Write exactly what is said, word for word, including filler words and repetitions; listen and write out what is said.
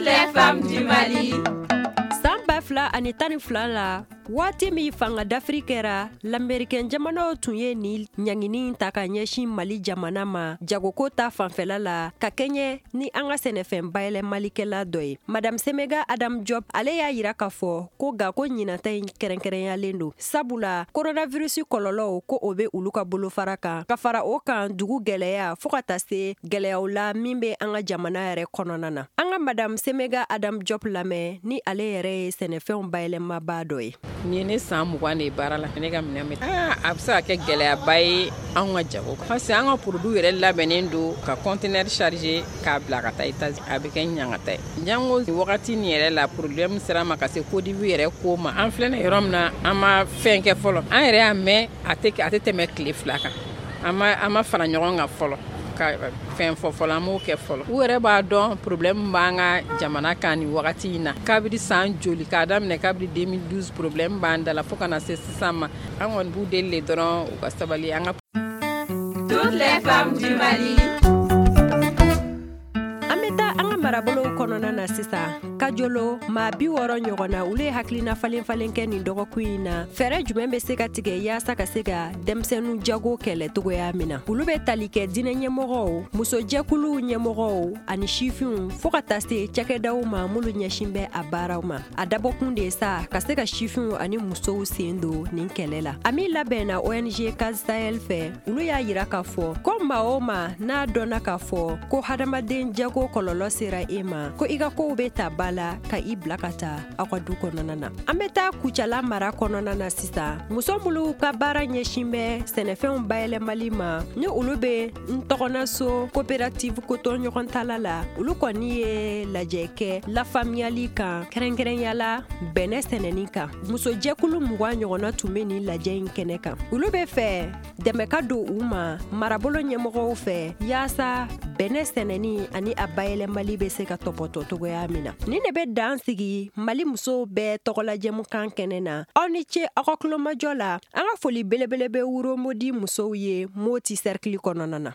Les femmes du Mali. San ba fila ani tan ni fila la, waati min fanga dafiri kɛra, lamɛrikɛn jamanaw tun ye nin ɲangini ta ka ɲɛsin Mali jamana ma jagoko ta fanfɛla la, ka kɛɲɛ ni an ka sɛnɛfɛn bayɛlɛmalikɛla dɔ ye. Madame Semega Adam Diop, ale y'a yira k'a fɔ ko nka ko ɲinata in kɛrɛnkɛrɛnyalen don, sabula coronavirus kɔlɔlɔw ko o bɛ olu ka bolofara kan, ka fara o kan dugu gɛlɛya, fo ka taa se gɛlɛyaw la min bɛ an ka jamana yɛrɛ kɔnɔna na. An ka Madame Semega Adam Diop lamɛn, ni ale yɛrɛ ye sɛnɛfɛnw bayɛlɛmabaa dɔ ye. Nin ye ne san mugan de ye baara la. Ne ka minɛn bɛ, a bɛ se ka kɛ gɛlɛyaba ye anw ka jago, parce que an ka produit yɛrɛ labɛnnen don ka conteneur chargé k'a bila ka taa États-Unis. A bɛ kɛ ɲangata ye jango wagati nin yɛrɛ la. Problème sera ma ka se Côte d'Ivoire yɛrɛ ko ma. An filɛ nin yɔrɔ min na, an ma fɛn kɛ fɔlɔ. An yɛrɛ y'a mɛn, a tɛ a tɛ tɛmɛ tile fila kan. an ma an ma fara ɲɔgɔn kan fɔlɔ ka fɛn fɔ fɔlɔ. An m'o kɛ fɔlɔ. U yɛrɛ b'a dɔn problème b'an ka jamana kan nin wagati in na. Kabiri san joli k'a daminɛ, kabiri deux mille douze, problème b'an da la fo ka na se sisan ma. An kɔni b'u deli de dɔrɔn, u ka sabali an ka. Toutes les femmes du Mali. An bɛ taa an ka marabolow kɔnɔna na sisan. Kajolo maa bi wɔɔrɔ ɲɔgɔn na, olu ye hakilina falen falen kɛ nin dɔgɔkun in na, fɛɛrɛ jumɛn bɛ se ka tigɛ yaasa ka se ka denmisɛnnin jago kɛlɛ togoya min na. Olu bɛ tali kɛ diinɛ ɲɛmɔgɔw, musojɛkuluw ɲɛmɔgɔw ani sifinw, fɔɔ ka taa se cakɛdaw ma minnu ɲɛsin bɛ a baaraw ma. A dabɔkun de ye sa ka se ka sifinw ani musow sen don nin kɛlɛ la. A min labɛnna O N G Case Sahel fɛ, olu y'a yira k'a fɔ ko maa o maa n'a dɔnna k'a fɔ ko hadamaden jago kɔlɔlɔ sera e ma, ko i ka kow bɛ ta ba la ka i bila ka taa aw ka du kɔnɔna na. An bɛ taa Kucala mara kɔnɔna na sisan. Muso minnu ka baara ɲɛsin bɛ sɛnɛfɛnw bayɛlɛmali ma, ni olu bɛ n tɔgɔnaso coopérative kotɔɲɔgɔntala la, olu kɔni ye lajɛ kɛ lafaamuyali kan, kɛrɛnkɛrɛnyala bɛnɛ sɛnɛni kan. Musojɛkulu mugan ɲɔgɔnna tun bɛ nin lajɛ in kɛnɛ kan. Olu bɛ fɛ dɛmɛ ka don u ma marabolo ɲɛmɔgɔw fɛ, yaasa bɛnɛ sɛnɛni ani a bayɛlɛmali bɛ se ka tɔpɔtɔ togoya min na. Nin de bɛ dan sigi Mali musow bɛɛ tɔgɔlajɛmukan kɛnɛ na. Aw ni ce aw ka kulomajɔ la. An ka foli belebele bɛ Wuromodi musow ye Moti cercle kɔnɔna na.